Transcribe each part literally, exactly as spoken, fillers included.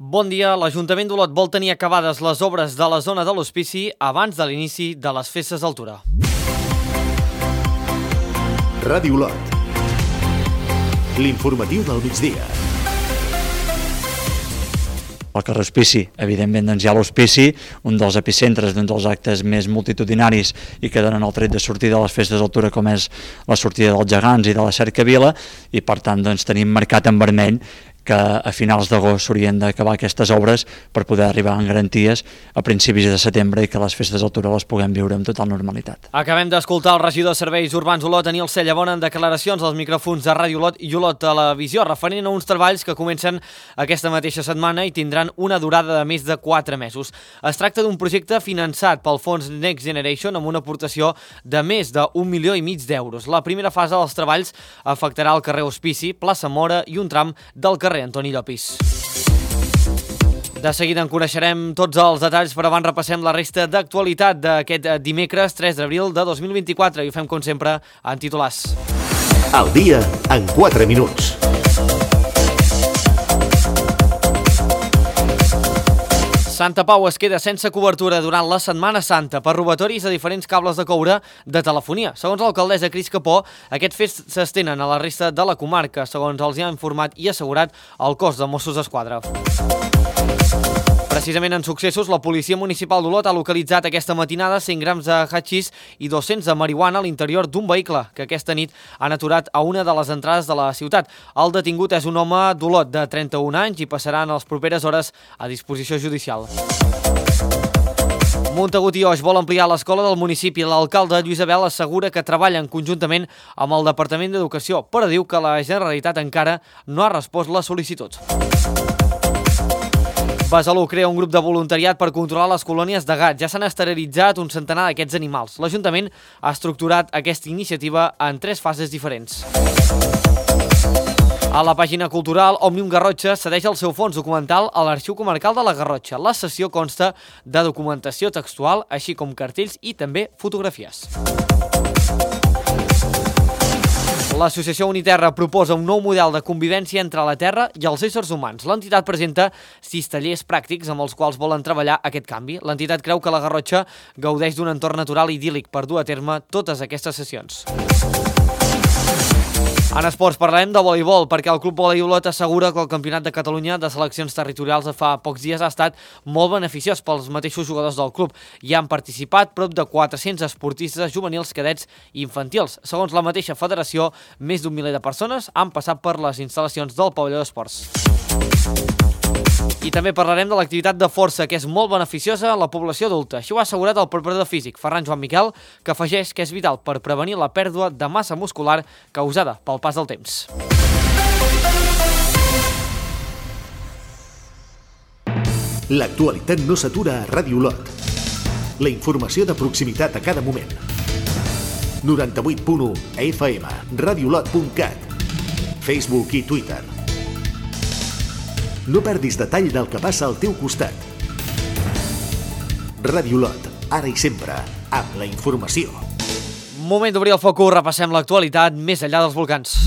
Bon dia. L'Ajuntament d'Olot vol tenir acabades les obres de la zona de l'Hospici abans de l'inici de les festes d'altura. Ràdio Olot. L'informatiu del migdia. El carrer Hospici, evidentment doncs hi ha l'Hospici, un dels epicentres d'un dels actes més multitudinaris i que donen el tret de sortida de les festes d'altura, com és la sortida dels gegants i de la cercavila, i per tant doncs tenim marcat en vermell que a finals d'agost s'haurien d'acabar aquestes obres per poder arribar en garanties a principis de setembre i que les festes d'altura les puguem viure amb total normalitat. Acabem d'escoltar el regidor de Serveis Urbans Olot, Daniel Cellabona, en declaracions als micròfons de Ràdio Olot i Olot Televisió, referent a uns treballs que comencen aquesta mateixa setmana i tindran una durada de més de quatre mesos. Es tracta d'un projecte finançat pel fons Next Generation amb una aportació de més d'un milió i mig d'euros. La primera fase dels treballs afectarà el carrer Hospici, plaça Mora i un tram del carrer Antoni Llopis. De seguida en coneixerem tots els detalls, però abans repassem la resta d'actualitat d'aquest dimecres tres d'abril de dos mil vint-i-quatre i ho fem com sempre en titulars. Al dia en quatre minuts. Santa Pau es queda sense cobertura durant la Setmana Santa per robatoris a diferents cables de coure de telefonia. Segons l'alcaldessa Cris Capó, aquests fets s'estenen a la resta de la comarca, segons els hi ha informat i assegurat el cos de Mossos d'Esquadra. Precisament en successos, la policia municipal d'Olot ha localitzat aquesta matinada cent grams de hatxís i dos-cents de marihuana a l'interior d'un vehicle que aquesta nit han aturat a una de les entrades de la ciutat. El detingut és un home d'Olot de trenta-un anys i passarà en les properes hores a disposició judicial. Montagut i Oix vol ampliar l'escola del municipi. L'alcalde Lluís Abel assegura que treballen conjuntament amb el Departament d'Educació, però diu que la Generalitat encara no ha respost les sol·licituds. Besalú crea un grup de voluntariat per controlar les colònies de gats. Ja s'han esterilitzat un centenar d'aquests animals. L'Ajuntament ha estructurat aquesta iniciativa en tres fases diferents. A la pàgina cultural, Òmnium Garrotxa cedeix el seu fons documental a l'Arxiu Comarcal de la Garrotxa. La sessió consta de documentació textual, així com cartells i també fotografies. L'associació Uniterra proposa un nou model de convivència entre la Terra i els éssers humans. L'entitat presenta sis tallers pràctics amb els quals volen treballar aquest canvi. L'entitat creu que la Garrotxa gaudeix d'un entorn natural idíl·lic per dur a terme totes aquestes sessions. En esports parlarem de voleibol, perquè el Club Volei Olot assegura que el Campionat de Catalunya de seleccions territorials de fa pocs dies ha estat molt beneficiós pels mateixos jugadors del club. Hi han participat prop de quatre-cents esportistes juvenils, cadets i infantils. Segons la mateixa federació, més d'un miler de persones han passat per les instal·lacions del pavelló d'esports. I també parlarem de l'activitat de força, que és molt beneficiosa a la població adulta. Això ho ha assegurat el preparador físic, Ferran Joan Miquel, que afegeix que és vital per prevenir la pèrdua de massa muscular causada pel pas del temps. L'actualitat no s'atura a Ràdio Olot. La informació de proximitat a cada moment. noranta-vuit punt u F M, radiolot punt cat, Facebook i Twitter. No perdis detall del que passa al teu costat. Ràdio Olot, ara i sempre, amb la informació. Moment d'obrir el focus, repassem l'actualitat més enllà dels volcans.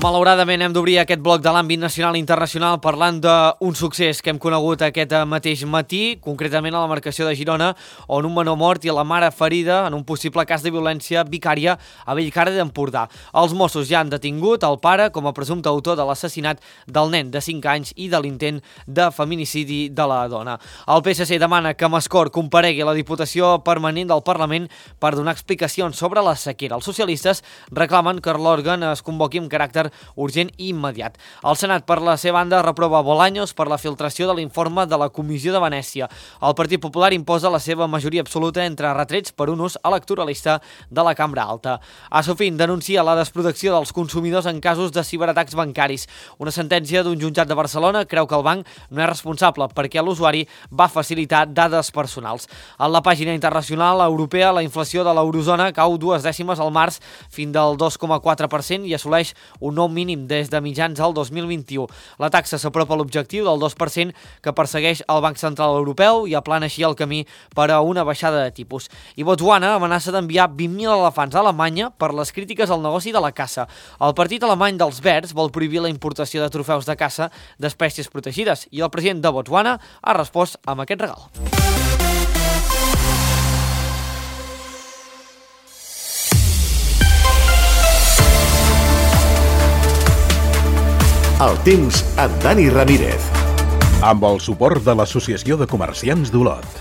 Malauradament hem d'obrir aquest bloc de l'àmbit nacional i internacional parlant d'un succés que hem conegut aquest mateix matí, concretament a la marcació de Girona, on un menor mort i la mare ferida en un possible cas de violència vicària a Bellcaire d'Empordà. Els Mossos ja han detingut el pare com a presumpte autor de l'assassinat del nen de cinc anys i de l'intent de feminicidi de la dona. El P S C demana que Mascort comparegui a la Diputació Permanent del Parlament per donar explicacions sobre la sequera. Els socialistes reclamen que l'òrgan es convoqui amb caràcter urgent i immediat. El Senat, per la seva banda, reprova Bolaños per la filtració de l'informe de la Comissió de Venècia. El Partit Popular imposa la seva majoria absoluta entre retrets per un ús electoralista de la Cambra Alta. Asofin denuncia la desprotecció dels consumidors en casos de ciberatacs bancaris. Una sentència d'un jutjat de Barcelona creu que el banc no és responsable perquè l'usuari va facilitar dades personals. A la pàgina internacional europea, la inflació de l'eurozona cau dues dècimes al març fins del dos coma quatre per cent i assoleix un nou nou mínim des de mitjans al dos mil vint-i-u. La taxa s'apropa a l'objectiu del dos per cent que persegueix el Banc Central Europeu i aplana així el camí per a una baixada de tipus. I Botswana amenaça d'enviar vint mil elefants a Alemanya per les crítiques al negoci de la caça. El partit alemany dels Verds vol prohibir la importació de trofeus de caça d'espècies protegides i el president de Botswana ha respost amb aquest regal. El temps amb Dani Ramírez. Amb el suport de l'Associació de Comerciants d'Olot.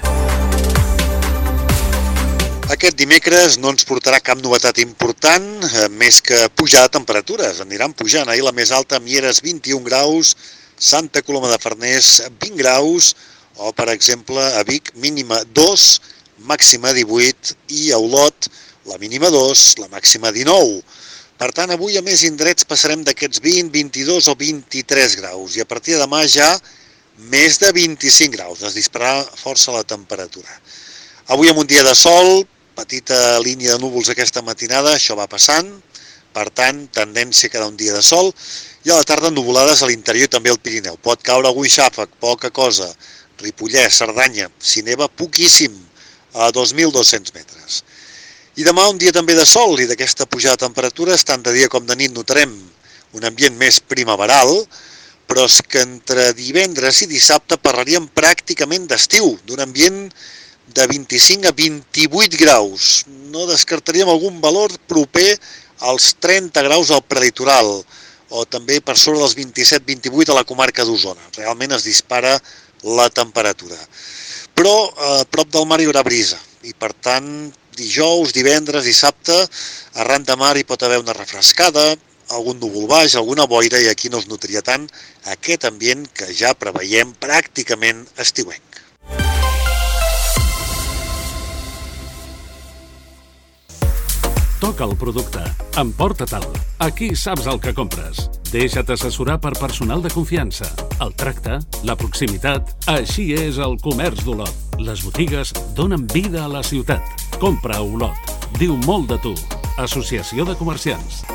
Aquest dimecres no ens portarà cap novetat important, eh, més que pujar de temperatures. Aniran pujant. Ahir la més alta a Mieres vint-i-un graus, Santa Coloma de Farners vint graus, o per exemple a Vic mínima dos, màxima divuit, i a Olot la mínima dos, la màxima dinou. Per tant, avui a més indrets passarem d'aquests vint, vint-i-dos o vint-i-tres graus i a partir de demà ja més de vint-i-cinc graus. Es dispararà força la temperatura. Avui amb un dia de sol, petita línia de núvols aquesta matinada, això va passant, per tant, tendència a quedar un dia de sol, i a la tarda nuvolades a l'interior i també al Pirineu. Pot caure algun xàfec, poca cosa, Ripollès, Cerdanya, si neva poquíssim, a dos mil dos-cents metres. I demà un dia també de sol i d'aquesta pujada de temperatures, tant de dia com de nit notarem un ambient més primaveral, però és que entre divendres i dissabte parlaríem pràcticament d'estiu, d'un ambient de vint-i-cinc a vint-i-vuit graus. No descartaríem algun valor proper als trenta graus al prelitoral, o també per sobre dels vint-i-set a vint-i-vuit a la comarca d'Osona. Realment es dispara la temperatura. Però a prop del mar hi haurà brisa, i per tant dijous, divendres, dissabte, arran de mar hi pot haver una refrescada, algun núvol baix, alguna boira, i aquí no es notaria tant aquest ambient que ja preveiem pràcticament estiuenc. Toca el producte. Emporta-te'l. Aquí saps el que compres. Deixa't assessorar per personal de confiança. El tracte, la proximitat, així és el comerç d'Olot. Les botigues donen vida a la ciutat. Compra a Olot. Diu molt de tu. Associació de Comerciants.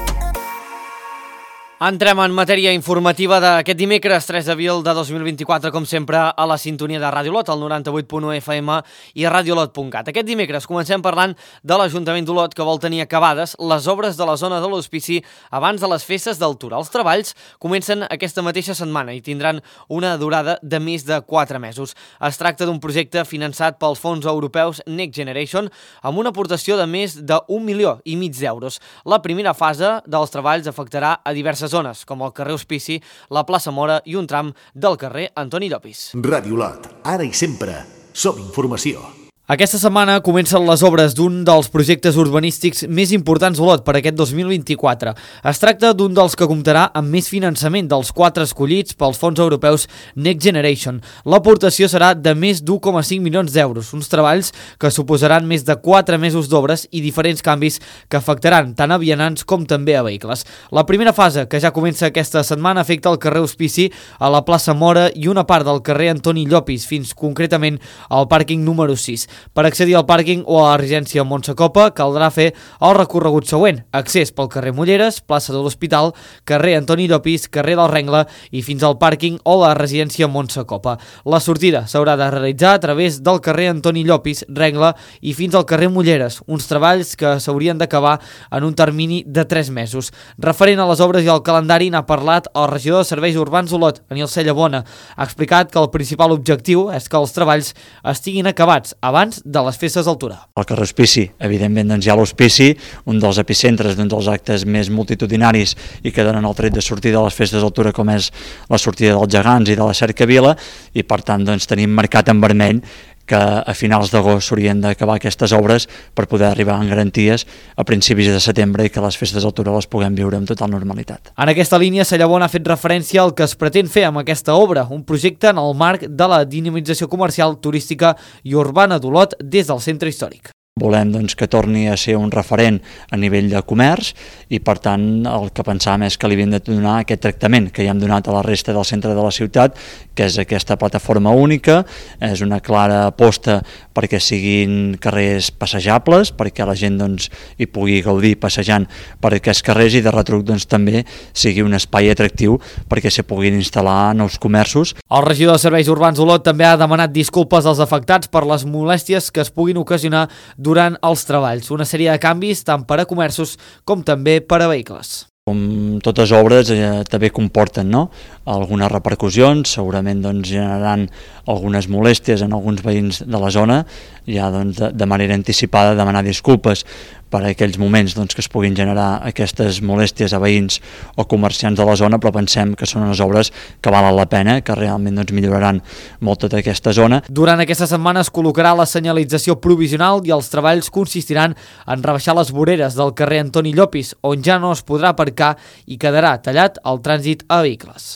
Entrem en matèria informativa d'aquest dimecres tres d'abril de dos mil vint-i-quatre, com sempre, a la sintonia de Ràdio Olot, al noranta-vuit punt u F M i a radiolot punt cat. Aquest dimecres comencem parlant de l'Ajuntament d'Olot, que vol tenir acabades les obres de la zona de l'Hospici abans de les festes d'altura. Els treballs comencen aquesta mateixa setmana i tindran una durada de més de quatre mesos. Es tracta d'un projecte finançat pels fons europeus Next Generation amb una aportació de més d'un milió i mig d'euros. La primera fase dels treballs afectarà a diverses zones, com el carrer Hospici, la plaça Mora i un tram del carrer Antoni Llopis. Ràdio Olot, ara i sempre, som informació. Aquesta setmana comencen les obres d'un dels projectes urbanístics més importants d'Olot per aquest dos mil vint-i-quatre. Es tracta d'un dels que comptarà amb més finançament dels quatre escollits pels fons europeus Next Generation. L'aportació serà de més d'un coma cinc milions d'euros, uns treballs que suposaran més de quatre mesos d'obres i diferents canvis que afectaran tant a vianants com també a vehicles. La primera fase, que ja comença aquesta setmana, afecta el carrer Hospici, a la plaça Mora i una part del carrer Antoni Llopis, fins concretament al pàrquing número sis. Per accedir al pàrquing o a la residència Montsecopa caldrà fer el recorregut següent: accés pel carrer Mulleres, plaça de l'Hospital, carrer Antoni Llopis, carrer del Rengle i fins al pàrquing o la residència Montsecopa. La sortida s'haurà de realitzar a través del carrer Antoni Llopis, Rengle i fins al carrer Mulleres, uns treballs que s'haurien d'acabar en un termini de tres mesos. Referent a les obres i al calendari n'ha parlat el regidor de Serveis Urbans d'Olot, Aniel Cellabona. Ha explicat que el principal objectiu és que els treballs estiguin acabats abans de les festes d'altura. El carrer Hospici, evidentment, doncs hi ha l'Hospici, un dels epicentres, d'un dels actes més multitudinaris i que donen el tret de sortida de les festes d'altura, com és la sortida dels gegants i de la cercavila, i per tant doncs, tenim marcat en vermell que a finals d'agost s'haurien d'acabar aquestes obres per poder arribar en garanties a principis de setembre i que les festes d'altura les puguem viure amb total normalitat. En aquesta línia, Cellabona ha fet referència al que es pretén fer amb aquesta obra, un projecte en el marc de la dinamització comercial, turística i urbana d'Olot des del centre històric. volem doncs, que torni a ser un referent a nivell de comerç i per tant el que pensàvem és que li havíem de donar aquest tractament que ja hem donat a la resta del centre de la ciutat, que és aquesta plataforma única, és una clara aposta perquè siguin carrers passejables, perquè la gent doncs, hi pugui gaudir passejant per aquests carrers i de retruc doncs, també sigui un espai atractiu perquè s'hi puguin instal·lar nous comerços. El regidor de Serveis Urbans Olot també ha demanat disculpes als afectats per les molèsties que es puguin ocasionar durant els treballs. Una sèrie de canvis tant per a comerços com també per a vehicles. Com totes obres eh, també comporten no? algunes repercussions, segurament doncs, generaran algunes molèsties en alguns veïns de la zona, ja doncs, de, de manera anticipada demanar disculpes per a aquells moments doncs, que es puguin generar aquestes molèsties a veïns o comerciants de la zona, però pensem que són unes obres que valen la pena, que realment doncs, milloraran molt tota aquesta zona. Durant aquesta setmana es col·locarà la senyalització provisional i els treballs consistiran en rebaixar les voreres del carrer Antoni Llopis, on ja no es podrà aparcar i quedarà tallat el trànsit a vehicles.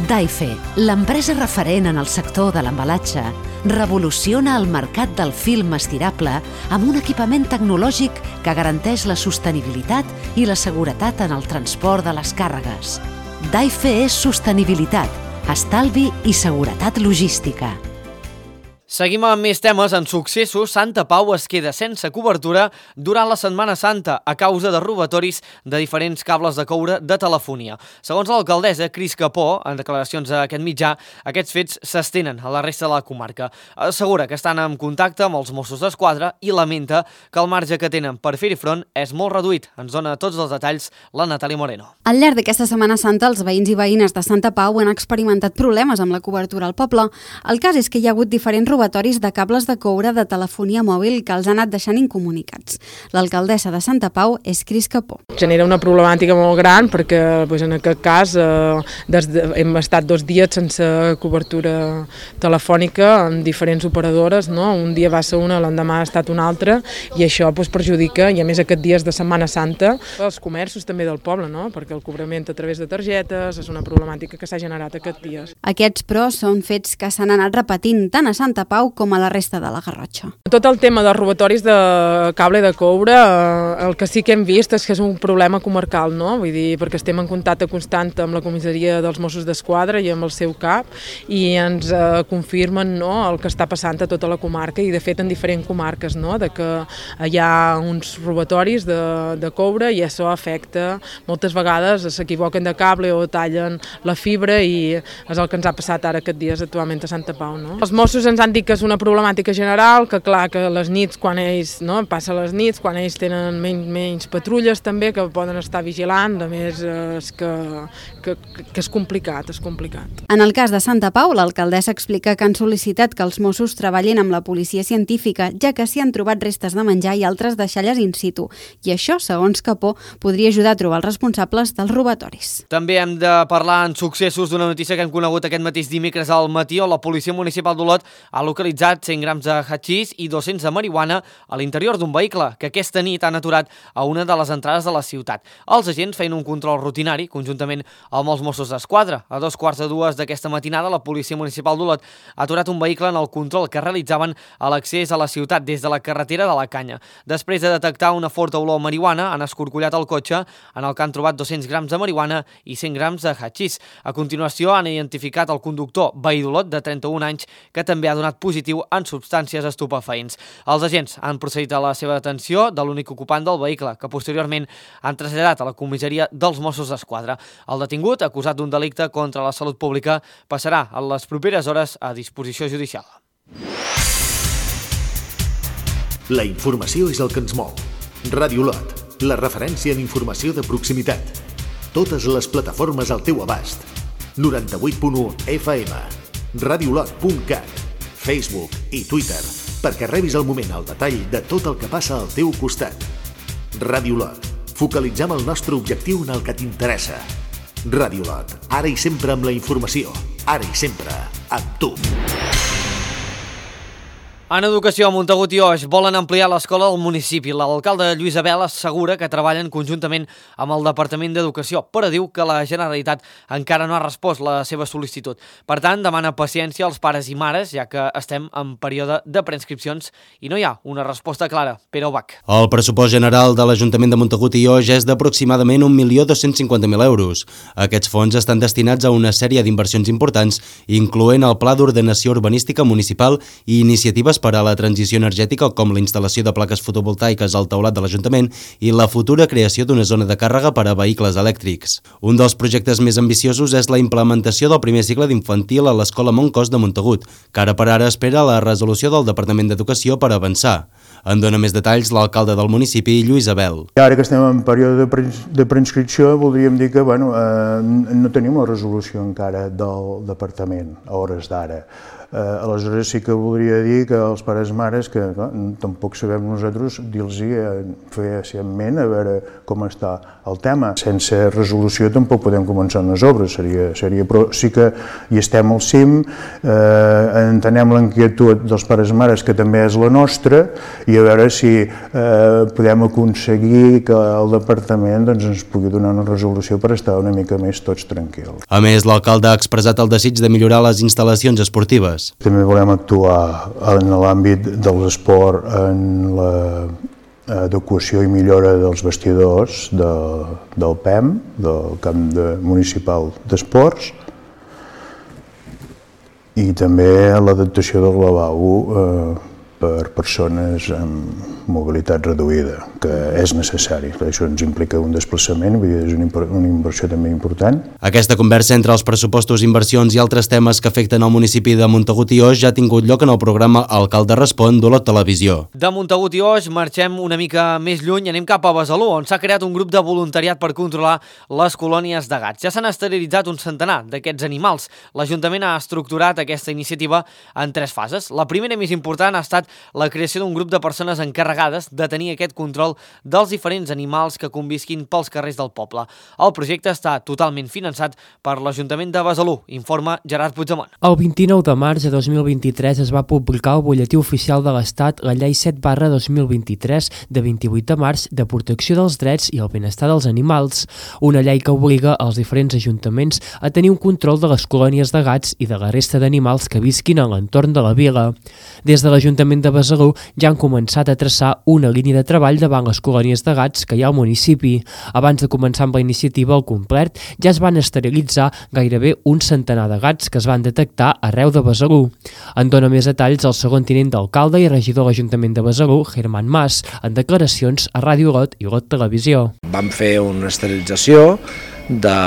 Daife, l'empresa referent en el sector de l'embalatge, revoluciona el mercat del film estirable amb un equipament tecnològic que garanteix la sostenibilitat i la seguretat en el transport de les càrregues. Daife és sostenibilitat, estalvi i seguretat logística. Seguim amb més temes. En successos, Santa Pau es queda sense cobertura durant la Setmana Santa a causa de robatoris de diferents cables de coure de telefonia. Segons l'alcaldessa Cris Capó, en declaracions a aquest mitjà, aquests fets s'estenen a la resta de la comarca. Assegura que estan en contacte amb els Mossos d'Esquadra i lamenta que el marge que tenen per fer-hi front és molt reduït. Ens dona tots els detalls la Natàlia Moreno. Al llarg d'aquesta Setmana Santa, els veïns i veïnes de Santa Pau han experimentat problemes amb la cobertura al poble. El cas és que hi ha hagut diferents robatoris de cables de coure de telefonia mòbil que els han anat deixant incomunicats. L'alcaldessa de Santa Pau és Cris Capó. Genera una problemàtica molt gran perquè doncs, en aquest cas eh, des de, hem estat dos dies sense cobertura telefònica amb diferents operadores, no? Un dia va ser una, l'endemà ha estat una altra i això doncs, perjudica, i a més aquests dies de Setmana Santa, els comerços també del poble, no? Perquè el cobrament a través de targetes és una problemàtica que s'ha generat aquests dies. Aquests, però, són fets que s'han anat repetint tant a Santa Pau com a la resta de la Garrotxa. Tot el tema dels robatoris de cable de coure, el que sí que hem vist és que és un problema comarcal, no? Vull dir, perquè estem en contacte constant amb la comissaria dels Mossos d'Esquadra i amb el seu cap i ens eh, confirmen no, el que està passant a tota la comarca i de fet en diferents comarques, no? De que hi ha uns robatoris de, de coure i això afecta, moltes vegades s'equivoquen de cable o tallen la fibra i és el que ens ha passat ara aquests dies actualment a Santa Pau, no? Els Mossos ens han dit que és una problemàtica general, que clar, que les nits, quan ells, no, passa les nits, quan ells tenen menys, menys patrulles també, que poden estar vigilant, a més és que, que, que és complicat, és complicat. En el cas de Santa Pau, l'alcaldessa explica que han sol·licitat que els Mossos treballin amb la policia científica, ja que s'hi han trobat restes de menjar i altres deixalles in situ, i això, segons Capó, podria ajudar a trobar els responsables dels robatoris. També hem de parlar en successos d'una notícia que hem conegut aquest mateix dimecres al matí, on la Policia Municipal d'Olot ha localitzat cent grams de hatxís i dos-cents de marihuana a l'interior d'un vehicle que aquesta nit han aturat a una de les entrades de la ciutat. Els agents feien un control rutinari, conjuntament amb els Mossos d'Esquadra. A dos quarts de dues d'aquesta matinada, la Policia Municipal d'Olot ha aturat un vehicle en el control que realitzaven a l'accés a la ciutat des de la carretera de la Canya. Després de detectar una forta olor a marihuana, han escorcollat el cotxe en el que han trobat dos-cents grams de marihuana i cent grams de hatxís. A continuació, han identificat el conductor veí d'Olot de trenta-un anys, que també ha donat positiu en substàncies estupefaents. Els agents han procedit a la seva detenció de l'únic ocupant del vehicle, que posteriorment han traslladat a la comissaria dels Mossos d'Esquadra. El detingut, acusat d'un delicte contra la salut pública, passarà a les properes hores a disposició judicial. La informació és el que ens mou. Ràdio Olot, la referència en informació de proximitat. Totes les plataformes al teu abast. noranta-vuit punt u F M, radiolot punt cat, Facebook i Twitter, perquè rebis al moment el detall de tot el que passa al teu costat. Ràdio Olot, focalitzem el nostre objectiu en el que t'interessa. Ràdio Olot, ara i sempre amb la informació, ara i sempre amb tu. En educació, a Montagut i Oix volen ampliar l'escola del municipi. L'alcalde Lluís Abel assegura que treballen conjuntament amb el Departament d'Educació, però diu que la Generalitat encara no ha respost la seva sol·licitud. Per tant, demana paciència als pares i mares, ja que estem en període de preinscripcions i no hi ha una resposta clara. Pere Ubach. El pressupost general de l'Ajuntament de Montagut i Oix és d'aproximadament un milió dos-cents cinquanta mil euros. Aquests fons estan destinats a una sèrie d'inversions importants, incloent el Pla d'Ordenació Urbanística Municipal i iniciatives per a la transició energètica, com la instal·lació de plaques fotovoltaiques al teulat de l'Ajuntament i la futura creació d'una zona de càrrega per a vehicles elèctrics. Un dels projectes més ambiciosos és la implementació del primer cicle d'infantil a l'Escola Montcos de Montagut, que ara per ara espera la resolució del Departament d'Educació per avançar. En dona més detalls l'alcalde del municipi, Lluís Abel. Ara que estem en període de, pre de preinscripció, voldríem dir que bueno, eh, no tenim la resolució encara del departament a hores d'ara. Eh, aleshores sí que voldria dir que els pares mares, que clar, tampoc sabem nosaltres dir-los eh, fer ment a veure com està el tema. Sense resolució tampoc podem començar unes obres, seria, seria, però sí que hi estem al cim, eh, entenem l'inquietud dels pares mares, que també és la nostra, i a veure si eh, podem aconseguir que el departament doncs, ens pugui donar una resolució per estar una mica més tots tranquils. A més, l'alcalde ha expressat el desig de millorar les instal·lacions esportives. També volem actuar en l'àmbit de l'esport, en l'adequació i millora dels vestidors de, del P E M, del Camp de, Municipal d'Esports, i també l'adaptació del lavabo eh, per persones amb mobilitat reduïda, que és necessari. Això ens implica un desplaçament, vull dir, és una inversió també important. Aquesta conversa entre els pressupostos, inversions i altres temes que afecten el municipi de Montagut i Oix ja ha tingut lloc en el programa Alcalde Respon d'Olot Televisió. De Montagut i Oix marxem una mica més lluny i anem cap a Besalú, on s'ha creat un grup de voluntariat per controlar les colònies de gats. Ja s'han esterilitzat un centenar d'aquests animals. L'Ajuntament ha estructurat aquesta iniciativa en tres fases. La primera, més important, ha estat la creació d'un grup de persones encarregades de tenir aquest control dels diferents animals que convisquin pels carrers del poble. El projecte està totalment finançat per l'Ajuntament de Besalú, informa Gerard Puigdemont. El vint-i-nou de març de dos mil vint-i-tres es va publicar al Butlletí Oficial de l'Estat la Llei set barra dos mil vint-i-tres de vint-i-vuit de març de protecció dels drets i el benestar dels animals, una llei que obliga els diferents ajuntaments a tenir un control de les colònies de gats i de la resta d'animals que visquin a l'entorn de la vila. Des de l'Ajuntament de Besalú ja han començat a traçar una línia de treball davant les colònies de gats que hi ha al municipi. Abans de començar amb la iniciativa al complet, ja es van esterilitzar gairebé un centenar de gats que es van detectar arreu de Besalú. En dona més detalls el segon tinent d'alcalde i regidor de l'Ajuntament de Besalú, Germán Mas, en declaracions a Ràdio Olot i Olot Televisió. Vam fer una esterilització de,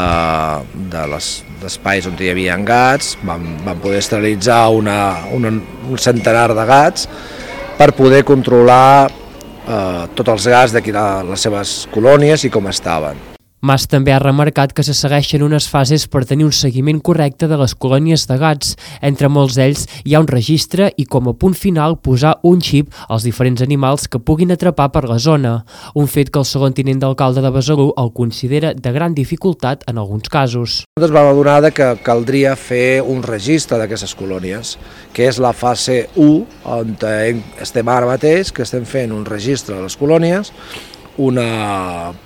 de les espais on hi havia gats, vam, vam poder esterilitzar una, una, un centenar de gats per poder controlar eh, tots els gats d'aquí les seves colònies i com estaven. Mas també ha remarcat que se segueixen unes fases per tenir un seguiment correcte de les colònies de gats. Entre molts d'ells hi ha un registre i com a punt final posar un xip als diferents animals que puguin atrapar per la zona, un fet que el segon tinent d'alcalde de Besalú el considera de gran dificultat en alguns casos. Nosaltres vam adonar que caldria fer un registre d'aquestes colònies, que és la fase u, on estem ara mateix, que estem fent un registre de les colònies, una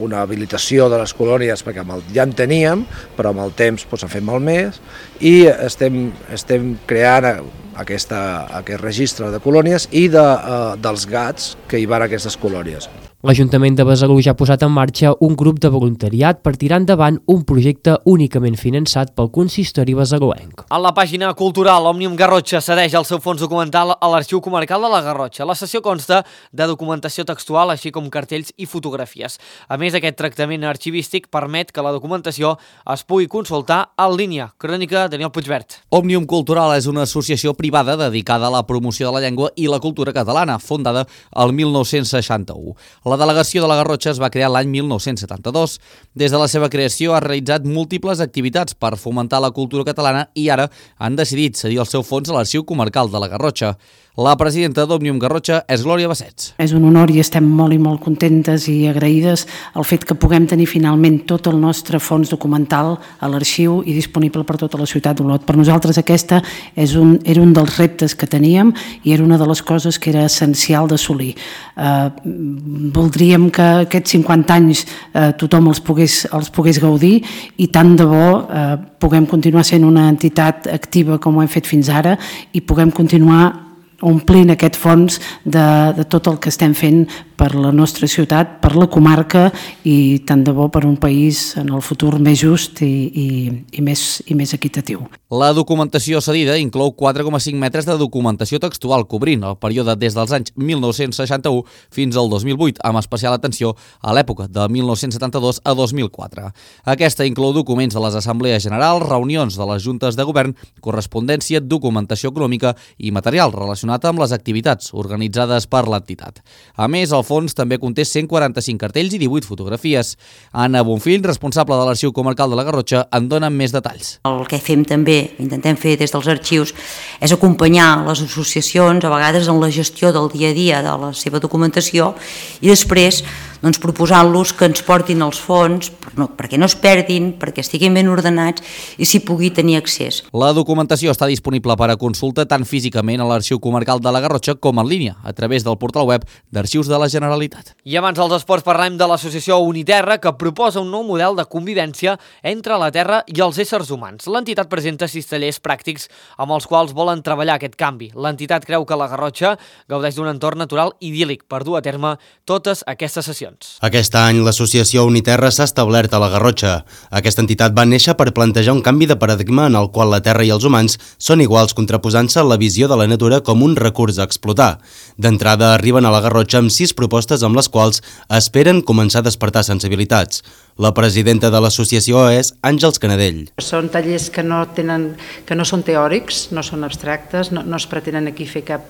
una habilitació de les colònies, perquè ja en teníem, però amb el temps doncs, en fem molt més, i estem, estem creant aquesta, aquest registre de colònies i de, uh, dels gats que hi van a aquestes colònies. L'Ajuntament de Besalú ja ha posat en marxa un grup de voluntariat per tirar endavant un projecte únicament finançat pel consistori besaluenc. A la pàgina cultural, Òmnium Garrotxa cedeix el seu fons documental a l'Arxiu Comarcal de la Garrotxa. La sessió consta de documentació textual, així com cartells i fotografies. A més, aquest tractament arxivístic permet que la documentació es pugui consultar en línia. Crònica Daniel Puigvert. Òmnium Cultural és una associació privada dedicada a la promoció de la llengua i la cultura catalana, fundada el mil nou-cents seixanta-u. La delegació de la Garrotxa es va crear l'any mil nou-cents setanta-dos. Des de la seva creació ha realitzat múltiples activitats per fomentar la cultura catalana i ara han decidit cedir el seu fons a l'Arxiu Comarcal de la Garrotxa. La presidenta d'Òmnium Garrotxa és Glòria Bassets. És un honor i estem molt i molt contentes i agraïdes el fet que puguem tenir finalment tot el nostre fons documental a l'arxiu i disponible per tota la ciutat d'Olot. Per nosaltres aquesta és un, era un dels reptes que teníem i era una de les coses que era essencial d'assolir. Eh, voldríem que aquests cinquanta anys eh, tothom els pogués, els pogués gaudir i tant de bo eh, puguem continuar sent una entitat activa com ho hem fet fins ara i puguem continuar omplint aquest fons de, de tot el que estem fent per la nostra ciutat, per la comarca i tant de bo per un país en el futur més just i, i, i, més, i més equitatiu. La documentació cedida inclou quatre coma cinc metres de documentació textual cobrint el període des dels anys mil nou-cents seixanta-u fins al dos mil vuit, amb especial atenció a l'època de mil nou-cents setanta-dos a dos mil quatre. Aquesta inclou documents de les assemblees generals, reunions de les juntes de govern, correspondència, documentació econòmica i material relacionat amb les activitats organitzades per l'entitat. A més, el fons també conté cent quaranta-cinc cartells i divuit fotografies. Anna Bonfill, responsable de l'Arxiu Comarcal de la Garrotxa, en dona més detalls. El que fem també, intentem fer des dels arxius, és acompanyar les associacions, a vegades en la gestió del dia a dia de la seva documentació i després doncs, proposant-los que ens portin els fons no, perquè no es perdin, perquè estiguin ben ordenats i s'hi pugui tenir accés. La documentació està disponible per a consulta tant físicament a l'Arxiu Comarcal de la Garrotxa com en línia, a través del portal web d'Arxius de la Generalitat. I abans dels esports parlem de l'associació Uniterra, que proposa un nou model de convivència entre la terra i els éssers humans. L'entitat presenta sis tallers pràctics amb els quals volen treballar aquest canvi. L'entitat creu que la Garrotxa gaudeix d'un entorn natural idíl·lic per dur a terme totes aquestes sessions. Aquest any l'associació Uniterra s'ha establert a la Garrotxa. Aquesta entitat va néixer per plantejar un canvi de paradigma en el qual la terra i els humans són iguals, contraposant-se a la visió de la natura com un recurs a explotar. D'entrada arriben a la Garrotxa amb sis propostes amb les quals esperen començar a despertar sensibilitats. La presidenta de l'associació és Àngels Canadell. Són tallers que no, tenen, que no són teòrics, no són abstractes, no, no es pretenen aquí fer cap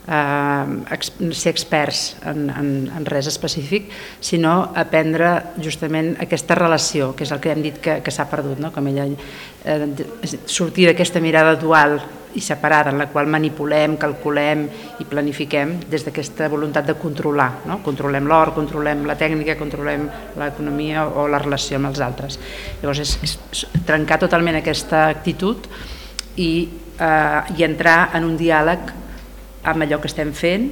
eh, ser experts en, en, en res específic, sinó aprendre justament aquesta relació, que és el que hem dit que, que s'ha perdut, no? Com ella, eh, sortir d'aquesta mirada dual i separada, en la qual manipulem, calculem i planifiquem des d'aquesta voluntat de controlar, no? Controlem l'or, controlem la tècnica, controlem l'economia o la relació amb els altres. Llavors és, és trencar totalment aquesta actitud i, eh, i entrar en un diàleg amb allò que estem fent,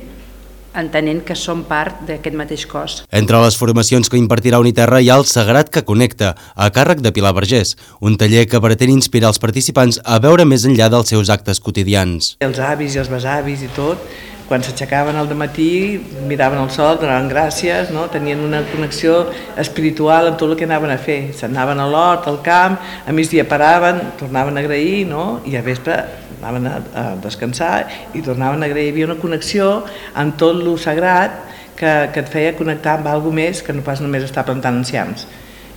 entenent que som part d'aquest mateix cos. Entre les formacions que impartirà Uniterra hi ha el Sagrat que connecta, a càrrec de Pilar Vergés, un taller que pretén inspirar els participants a veure més enllà dels seus actes quotidians. Els avis i els besavis i tot, quan s'aixecaven al dematí, miraven el sol, donaven gràcies, no? Tenien una connexió espiritual amb tot el que anaven a fer. S'anaven a l'hort, al camp, a migdia paraven, tornaven a agrair, no? I a vespre anaven a descansar i tornaven a agrair. Hi havia una connexió amb tot lo sagrat que, que et feia connectar amb alguna més que no pas només estar plantant enciams.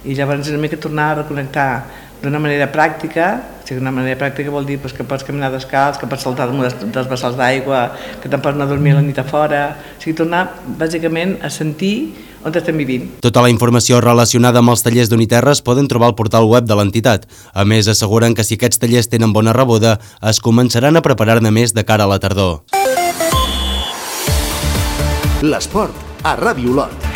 I llavors una mica tornar a reconnectar d'una manera pràctica. O sigui, una manera pràctica vol dir pues, que pots caminar descalç, que pots saltar dels vessals d'aigua, que te'n pots anar a dormir la nit a fora. O sigui, tornar bàsicament a sentir on estem vivint. Tota la informació relacionada amb els tallers d'Uniterra es poden trobar al portal web de l'entitat. A més, asseguren que si aquests tallers tenen bona rebuda, es començaran a preparar-ne més de cara a la tardor. L'esport a Ràdio Olot.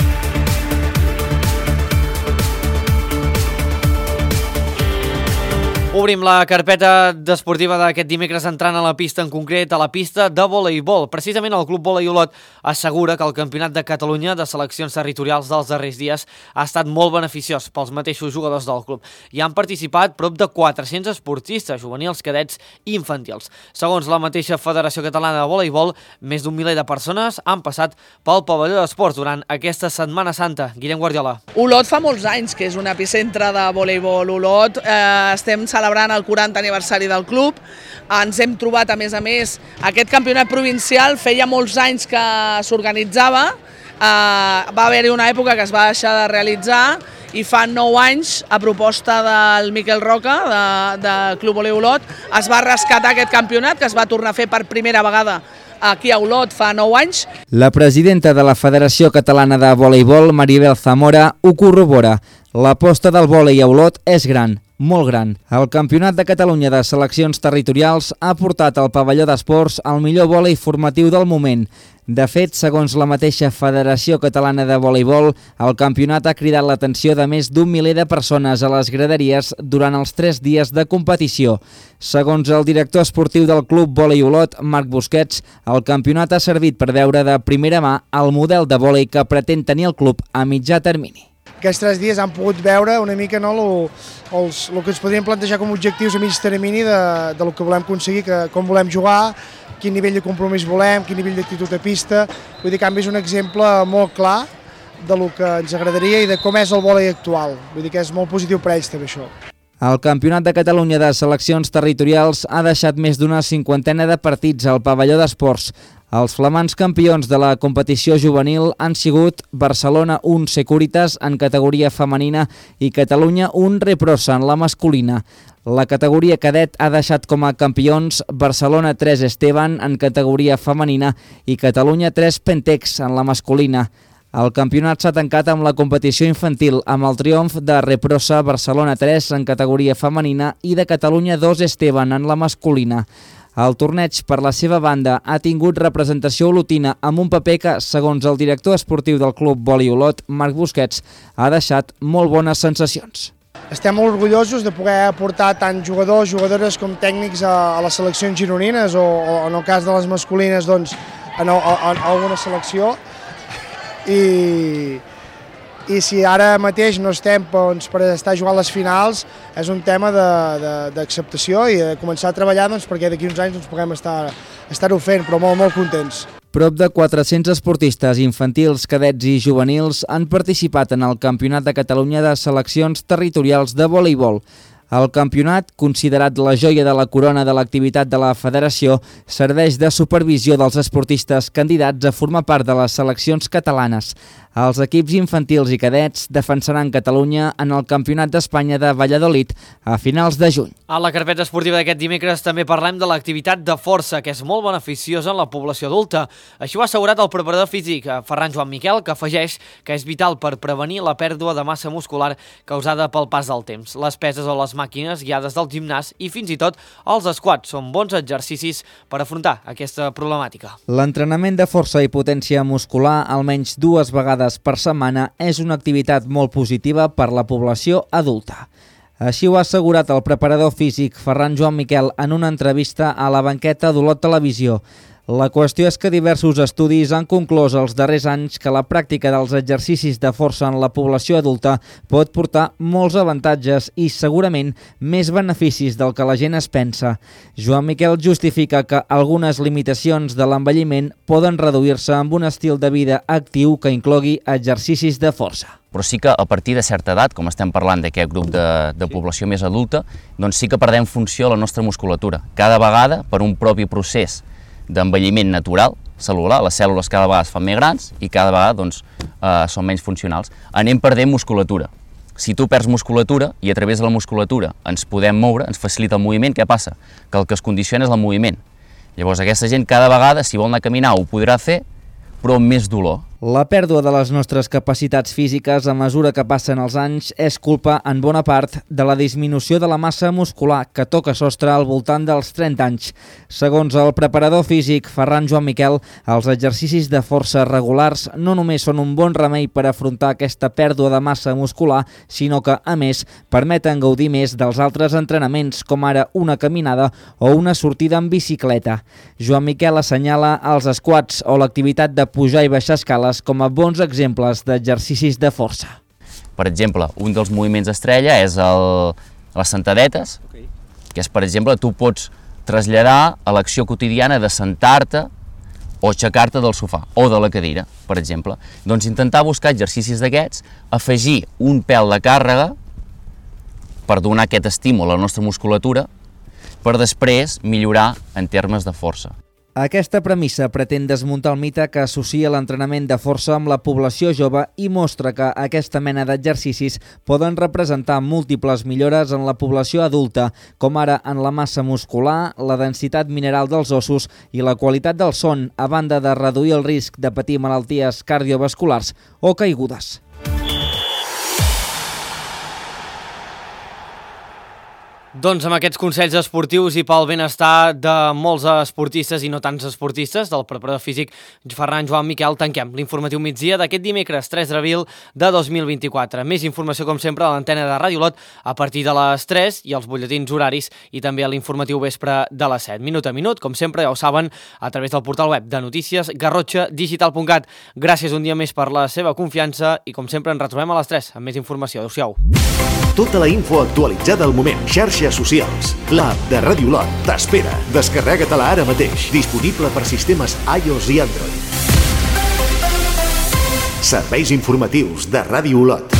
Obrim la carpeta desportiva d'aquest dimecres entrant a la pista, en concret a la pista de voleibol. Precisament el Club Volei Olot assegura que el Campionat de Catalunya de seleccions territorials dels darrers dies ha estat molt beneficiós pels mateixos jugadors del club. Hi han participat prop de quatre-cents esportistes, juvenils, cadets i infantils. Segons la mateixa Federació Catalana de Voleibol, més d'un miler de persones han passat pel pavelló d'esports durant aquesta Setmana Santa. Guillem Guardiola. Olot fa molts anys que és un epicentre de voleibol. Olot, eh, estem celebrant celebrant el quaranta aniversari del club. Ens hem trobat, a més a més, aquest campionat provincial feia molts anys que s'organitzava, eh, va haver-hi una època que es va deixar de realitzar i fa nou anys, a proposta del Miquel Roca, de, de Club Volei Olot, es va rescatar aquest campionat, que es va tornar a fer per primera vegada aquí a Olot fa nou anys. La presidenta de la Federació Catalana de Voleibol, Maribel Zamora, ho corrobora. L'aposta del vòlei a Olot és gran, molt gran. El Campionat de Catalunya de Seleccions Territorials ha portat al pavelló d'esports el millor vòlei formatiu del moment. De fet, segons la mateixa Federació Catalana de Voleibol, el campionat ha cridat l'atenció de més d'un miler de persones a les graderies durant els tres dies de competició. Segons el director esportiu del Club Vòlei Olot, Marc Busquets, el campionat ha servit per veure de primera mà el model de vòlei que pretén tenir el club a mitjà termini. Aquests tres dies han pogut veure una mica no, lo, els, el que ens podríem plantejar com a objectius a mig termini de, de lo que volem aconseguir, que, com volem jugar, quin nivell de compromís volem, quin nivell d'actitud a pista. Vull dir que han vist un exemple molt clar de lo que ens agradaria i de com és el vòlei actual. Vull dir que és molt positiu per ells també això. El Campionat de Catalunya de Seleccions Territorials ha deixat més d'una cinquantena de partits al pavelló d'esports. Els flamants campions de la competició juvenil han sigut Barcelona un Securitas en categoria femenina i Catalunya un Reprosa en la masculina. La categoria cadet ha deixat com a campions Barcelona tres Esteban en categoria femenina i Catalunya tres Pentex en la masculina. El campionat s'ha tancat amb la competició infantil amb el triomf de Reprosa Barcelona tres en categoria femenina i de Catalunya dos Esteban en la masculina. El torneig, per la seva banda, ha tingut representació olotina amb un paper que, segons el director esportiu del Club Vòlei Olot, Marc Busquets, ha deixat molt bones sensacions. Estem molt orgullosos de poder aportar tant jugadors, jugadores com tècnics a, a les seleccions gironines o, o en el cas de les masculines doncs, en, a, a, a alguna selecció. I, i si ara mateix no estem doncs, per estar jugant les finals, és un tema d'acceptació i de començar a treballar doncs, perquè d'aquí uns anys doncs, puguem estar, estar-ho fent, però molt, molt contents. Prop de quatre-cents esportistes infantils, cadets i juvenils han participat en el Campionat de Catalunya de Seleccions Territorials de Voleibol. El campionat, considerat la joia de la corona de l'activitat de la federació, serveix de supervisió dels esportistes candidats a formar part de les seleccions catalanes. Els equips infantils i cadets defensaran Catalunya en el Campionat d'Espanya de Valladolid a finals de juny. A la carpeta esportiva d'aquest dimecres també parlem de l'activitat de força, que és molt beneficiosa en la població adulta. Així ho ha assegurat el preparador físic Ferran Joan Miquel, que afegeix que és vital per prevenir la pèrdua de massa muscular causada pel pas del temps. Les peses o les màquines guiades del gimnàs i fins i tot els squats són bons exercicis per afrontar aquesta problemàtica. L'entrenament de força i potència muscular almenys dues vegades per setmana és una activitat molt positiva per la població adulta. Així ho ha assegurat el preparador físic Ferran Joan Miquel en una entrevista a la banqueta d'Olot Televisió. La qüestió és que diversos estudis han conclòs els darrers anys que la pràctica dels exercicis de força en la població adulta pot portar molts avantatges i segurament més beneficis del que la gent es pensa. Joan Miquel justifica que algunes limitacions de l'envelliment poden reduir-se amb un estil de vida actiu que inclogui exercicis de força. Però sí que a partir de certa edat, com estem parlant d'aquest grup de, de població més adulta, doncs sí que perdem funció a la nostra musculatura. Cada vegada, per un propi procés d'envelliment natural, cel·lular, les cèl·lules cada vegada es fan més grans i cada vegada doncs, eh, són menys funcionals. Anem perdent musculatura. Si tu perds musculatura i a través de la musculatura ens podem moure, ens facilita el moviment, què passa? Que el que es condiciona és el moviment. Llavors aquesta gent cada vegada, si vol anar a caminar, ho podrà fer, però amb més dolor. La pèrdua de les nostres capacitats físiques a mesura que passen els anys és culpa, en bona part, de la disminució de la massa muscular que toca sostre al voltant dels trenta anys. Segons el preparador físic Ferran Joan Miquel, els exercicis de força regulars no només són un bon remei per afrontar aquesta pèrdua de massa muscular, sinó que, a més, permeten gaudir més dels altres entrenaments, com ara una caminada o una sortida en bicicleta. Joan Miquel assenyala els squats o l'activitat de pujar i baixar escales com a bons exemples d'exercicis de força. Per exemple, un dels moviments estrella és el, les sentadetes, okay. que és, per exemple, tu pots traslladar a l'acció quotidiana de sentar-te o aixecar-te del sofà o de la cadira, per exemple. Doncs intentar buscar exercicis d'aquests, afegir un pèl de càrrega per donar aquest estímul a la nostra musculatura per després millorar en termes de força. Aquesta premissa pretén desmuntar el mite que associa l'entrenament de força amb la població jove i mostra que aquesta mena d'exercicis poden representar múltiples millores en la població adulta, com ara en la massa muscular, la densitat mineral dels ossos i la qualitat del son, a banda de reduir el risc de patir malalties cardiovasculars o caigudes. Doncs amb aquests consells esportius i pel benestar de molts esportistes i no tants esportistes, del preparador físic Ferran Joan Miquel, tanquem l'informatiu migdia d'aquest dimecres tres d'abril de dos mil vint-i-quatre. Més informació, com sempre, a l'antena de Ràdio Olot a partir de les tres i els butlletins horaris i també a l'informatiu vespre de les set. Minut a minut, com sempre, ja ho saben, a través del portal web de notícies garrotxa digital punt cat. Gràcies un dia més per la seva confiança i, com sempre, ens retrobem a les tres amb més informació. Adéu-siau. Tota la info actualitzada al moment. Xarxes socials. L'app de Ràdio Olot t'espera. Descarrega-te-la ara mateix. Disponible per sistemes iOS i Android. Serveis informatius de Ràdio Olot.